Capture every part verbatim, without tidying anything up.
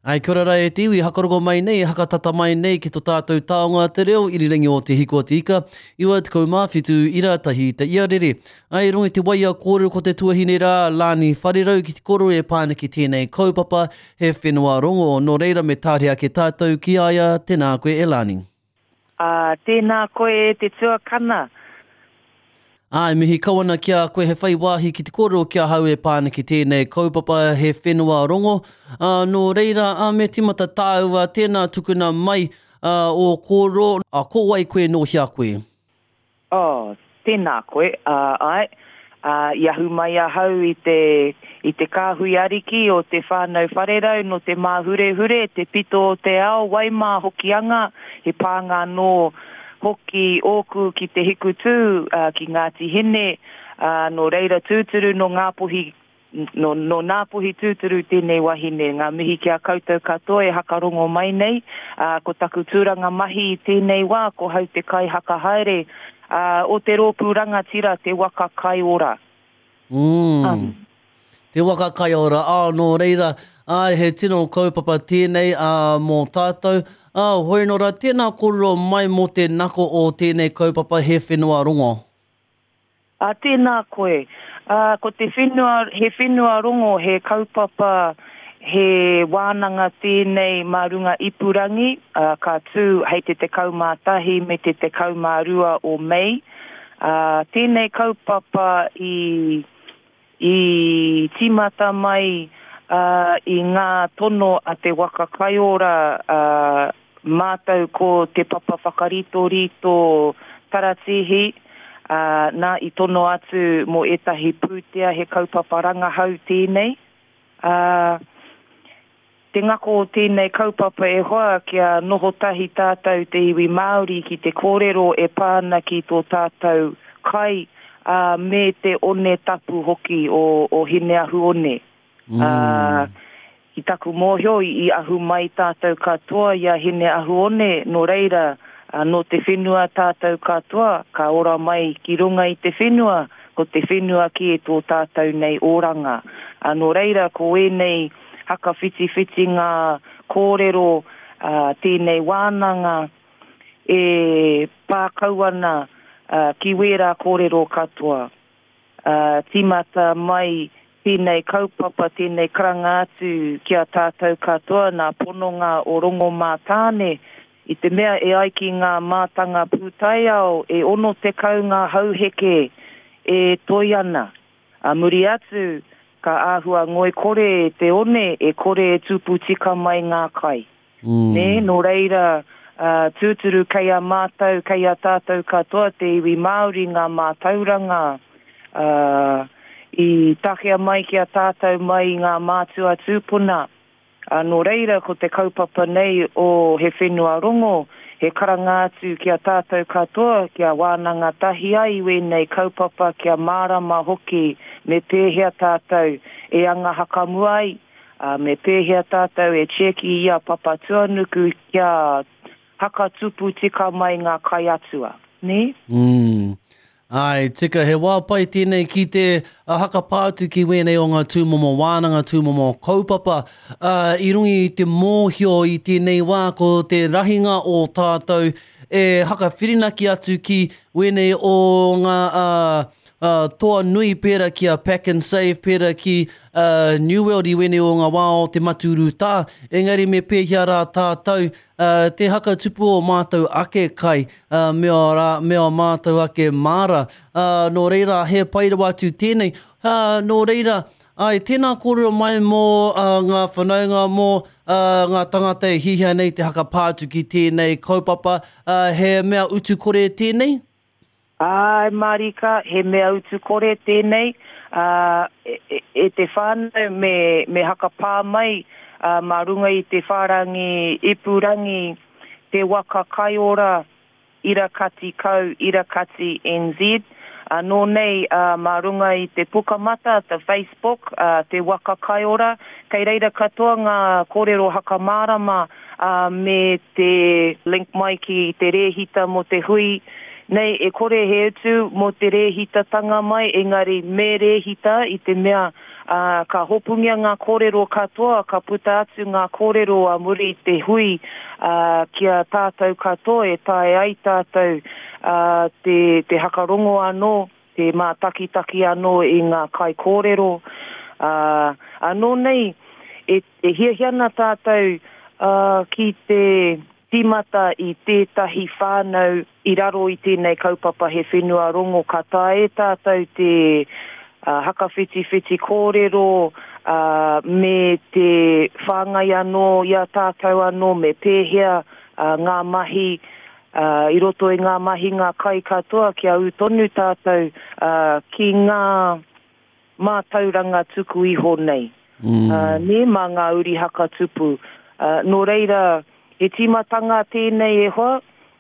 Ai, kia ora rā e te iwi, hakarongo mai nei, hakatata mai nei ki to tātou taonga te reo irirangi o Te Hiku o Te Ika, iwa tekau mā whitu ira tahi te iarere. Ai, rongo i te waia kōrero ko te tuahine rā, Lani Wharerau ki te koro e pāna ki tēnei kaupapa, he whenua rongo, nō reira me tāre ake tātou ki a ia, tēnā koe e Lani. Uh, tēnā koe e te tuakana. Ai, mihi kau ana ki a koe he whai wāhi ki te kōrero ki ahau e pāna ki tēnei kaupapa he whenua rongo. Uh, nō reira, uh, me timata tāua, tēnā tukuna mai uh, o kōrero, uh, ko wai koe nō hea koe? Oh, tēnā koe, uh, ai. Uh, i ahu mai ahau i te, i te kāhui ariki o te whānau wharerau no te māhurehure, te pito o te ao, Waimā Hokianga, he pānga nō hoki ōku ki te hikutū, uh, ki Ngāti Hine, uh, nō reira tūturu nō Ngāpuhi, nō, nō Ngāpuhi tūturu tēnei wahine. Ngā mihi ki a koutou katoa e hakarongo mai nei, uh, ko taku tūranga mahi i tēnei wā, ko hau te kai hakahaere, uh, o te rōpū rangatira Te Waka Kaiora. Mm. Um. Te Waka Kaiora, ā, nō reira, ai, he tino kaupapa tēnei uh, mō tātou. Ā, hoi nō rā, tēnā kōrero mai mō te nako o tēnei kaupapa he whenua rongo. Ā, tēnā koe. Ā, ko te whenua, he whenua rongo, he kaupapa, he wānanga tēnei mā runga ipurangi, ā, ka tū hei te tekau mā tahi me te tekau mā rua o Mei. Ā, tēnei kaupapa i, i tīmata mai uh, i ngā tono a Te Waka Kaiora, uh, mātou ko te papa whakaritorito taratihi, uh, nā i tono atu mō ētahi pūtea he kaupapa rangahau tēnei. Uh, te ngako o tēnei kaupapa e hoa kia noho tahi tātou te iwi Māori ki te kōrero e pāna ki tō tātou kai, uh, me te one tapu hoki o, o Hineahuone. Mm. Uh, i taku mōhio i, i ahu mai tātou katoa i a Hineahuone, nō reira, uh, nō te whenua tātou katoa, ka ora mai ki runga i te whenua, ko te whenua ki e tō tātou nei oranga. Uh, nō reira, ko ēnei hakawhitiwhiti ngā kōrero, uh, tēnei wānanga e pākau ana uh, ki wērā kōrero katoa. Uh, tīmata mai tēnei kaupapa, tēnei karanga atu ki a tātou katoa nā pononga o Rongo Mātāne, i te mea e ai ki ngā mātanga pūtaiao e ono tekau ngā hauheke e toi ana. A muri atu, ka āhua ngoi kore te one e kore e tupu tika mai ngā kai. Mm. Nē, nō reira, uh, tūturu kei a mātou, kei a tātou katoa te iwi Māori ngā mātauranga, uh, i takea mai ki a tātou mai i ngā mātua tūpuna. Uh, nō reira, ko te kaupapa nei o He Whenua Rongo, he karanga atu ki a tātou katoa, kia wānanga tahi ai wēnei kaupapa, kia mārama hoki, me pēhea tātou e anga hakamua ai, uh, me pēhea tātou e tieki i a Papatuanuku kia hakatupu tika mai ngā kai atua. Nē? Mm. Ai, tika, he wā pai tēnei ki te uh, hakapā atu ki wēnei o ngā tūmomo wānanga, tūmomo kaupapa. Uh, i runga i te mōhio i tēnei wā ko te rahinga o tātou e hakawhirinaki atu ki wēnei o ngā uh, uh, toa nui pērā ki a Pack and Save, pērā ki uh, New World i wēnei o ngā wā o te matūrutā. Engari me pēhea rā tātou uh, te hakatupu o mātou ake kai, uh, me o, rā, me o mātou ake māra. Uh, nō reira, he pai rawa atu tēnei. Uh, nō reira, ai, tēnā kōrero mai mō uh, ngā whanaunga, mō uh, ngā tangata e hihia nei te hakapā atu ki tēnei kaupapa. Uh, he mea utu kore tēnei? Ai, Marika, he mea utu kore tēnei. Uh, e, e, e te whānau me, me hakapā mai uh, mā runga i te whārangi ipurangi Te Waka Kaiora Irakati Kau Irakati N Z. Uh, nō nei uh, mā runga i te pukamata, te Facebook, uh, Te Waka Kaiora, kei reira katoa ngā kōrero hakamārama uh, me te link mai ki te rēhita mō te hui. Nei, e kore he utu mō te rēhitatanga mai, engari me rēhita i te mea Ā, ka hopungia ngā kōrero katoa, ka puta atu ngā kōrero a muri i te hui, ā, ki a tātou katoa e taea ai tātou, ā, te, te hakarongo anō, te mātakitaki anō i ngā kaikōrero. Ā, anō nei, e, e hiahia ana tātou, ā, ki te tīmata i tētahi whānau i raro i tēnei kaupapa He Whenua Rongo, ka taea e tātou te hakawhitiwhiti kōrero, ā, me te whāngai anō i a tātou anō me pēhea ngā mahi, ā, i roto i ngā mahinga kai katoa kia ū tonu tātou, ā, ki ngā mātauranga tuku iho nei, mm. ā, nē, mā ngā uri haka tupu. Ā, nō reira, he tīmatanga tēnei e hoa,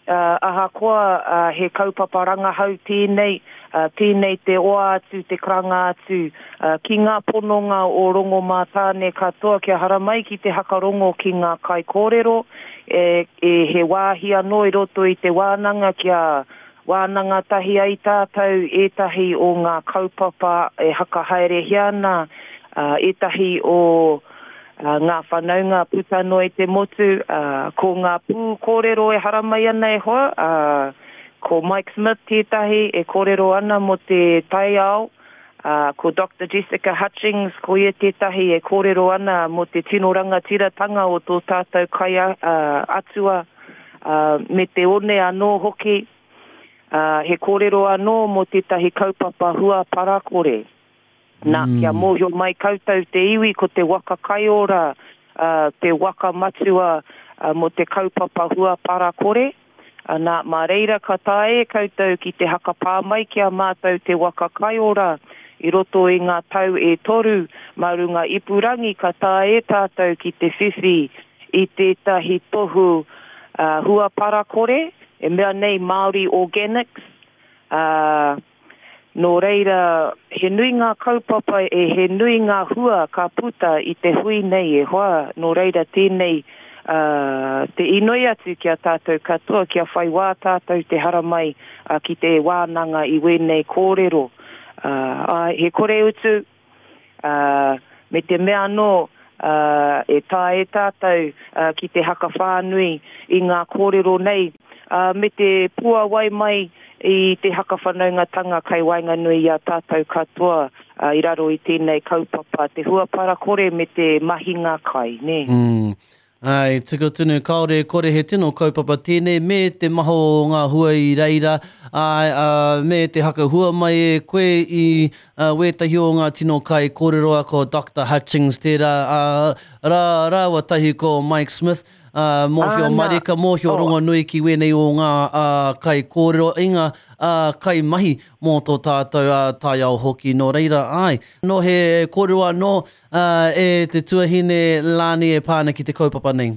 ā, ahakoa ā, he kaupapa rangahau tēnei, ā, tēnei te oa atu, te karanga atu, ā, ki ngā pononga o Rongomātāne katoa kia haramai ki te hakarongo ki ngā kaikōrero, e, e, he wāhi anō i roto i te wānanga kia wānanga tahi ai tātou ētahi o ngā kaupapa e hakahaerehia ana, ā, ētahi o ā, ngā whanaunga puta noa i te motu, ā, ko ngā pū kōrero e haramai ana e hoa, ā, ko Mike Smith tētahi e kōrero ana mō te taiao, ā, ko Doctor Jessica Hutchings, ko ia tētahi e kōrero ana mō te tino rangatiratanga o tō tātou kai ā, atua, ā, me te one anō hoki, ā, he kōrero anō mō tētahi kaupapa hua parakore. Nā, kia mōhio mai koutou te iwi ko te waka kaiora, ā, te waka matua ā, mō te kaupapa hua parakore. Ā, nā, mā reira ka taea e koutou ki te hakapā mai ki a mātou te waka kaiora i roto i ngā tau e toru, mā runga ipurangi ka taea e tātou ki te whiwhi i tētahi tohu ā, hua parakore, e mea nei Māori Organics, ā, nō reira, he nui ngā kaupapa e he nui ngā hua ka puta i te hui nei e hoa, nō reira tēnei ā, te inoi atu ki a tātou katoa kia whai wā tātou te haramai ā, ki te wānanga i wēnei kōrero. Ā, āe, he kore utu, ā, me te mea anō, ā, e taea e tātou ā, ki te hakawhānui i ngā kōrero nei, ā, me te puawai mai i te hakawhanaungatanga kai waenganui i a tātou katoa ā, i raro i tēnei kaupapa, te hua parakore me te mahinga kai, nē. Mm. Ai, tika tonu, kāore e kore he tino kaupapa tēnei me te maha o ngā hua i reira, ai, ā, me te hakahua mai e koe i ā, wētahi o ngā tino kai kōrero a ko Doctor Hutchings tērā, ā, rā, rāua tahi ko Mike Smith, ā, mōhio Āna. marika, mōhio Oh. rongonui ki wēnei o ngā ā, kai kōrero, i ngā ā, kaimahi mō tō tātou ā, taiao hoki. Nō reira, ai, nō he kōrero anō ā, e te tuahine Lani e pā ana ki te kaupapa nei.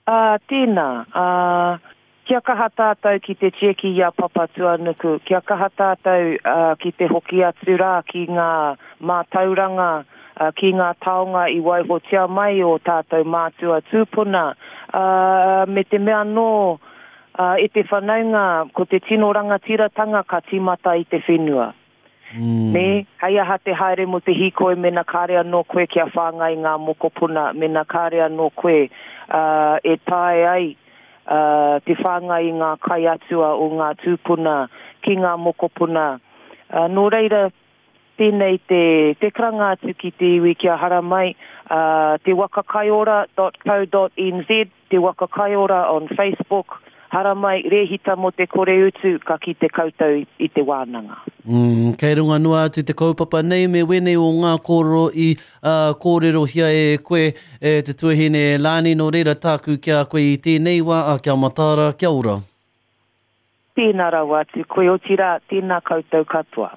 Ā, tēnā, ā, kia kaha tātou ki te tieki i a Papatūānuku, kia kaha tātou ā, ki te hoki atu rā ki ngā mātauranga, ā, ki ngā taonga i waihotia mai o tātou mātua tūpuna, ā, me te mea anō, ā, e te whanaunga, ko te tino rangatiratanga ka tīmata i te whenua. Mm. Nē, hei aha te haere mō te hīkoi mena kāre anō koe kia whāngai ngā mokopuna, mena kāre anō koe ā, e taea ai ā, te whāngai i ngā kai atua o ngā tūpuna ki ngā mokopuna. Ā, nō reira, tēnei te, te karanga atu ki te iwi kia haramai, ā, te wakakaiora dot co dot nz, te wakakaiora on Facebook, haramai, rēhita mō te kore utu, ka kite koutou i, i te wānanga. Mm, kei runga noa atu te kaupapa nei me wēnei o ngā kōrero i uh, kōrerohia e koe e te tuahine e Lani, nō reira tāku ki a koe i tēnei wā, a kia mataara, kia ora. Tēnā rawa atu koe, otirā, tēnā koutou katoa.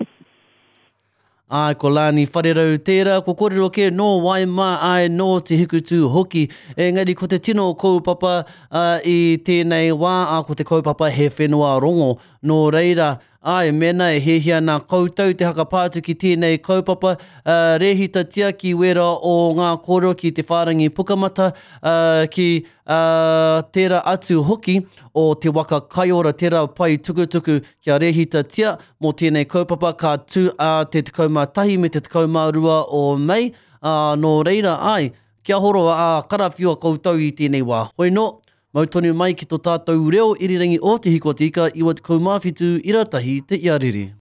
Ai, ko Lani Wharerau tērā, ko kōrero kē nō Waimā, ai nō Te Hikutū hoki. Engari ko te tino kaupapa uh, i tēnei wā, a ko te kaupapa He Whenua Rongo. Nō reira, Āe, mēnā e hiahia ana koutou te hakapā atu ki tēnei kaupapa, uh, rēhitatia ki wērā o ngā kōrero ki te whārangi pukamata, uh, ki uh, tērā atu hoki o Te Waka Kaiora, tērā pae tukutuku kia rēhitatia mō tēnei kaupapa ka tū a te tekau mā tahi me te tekau mā rua o Mei, uh, nō reira, āe, kia horo a karawhiua koutou i tēnei wā. Hoi nō, mau tonu mai ki tō tātou reo irirangi o Te Hiku o Te Ika, iwa tekau mā whitu ira tahi te iarere.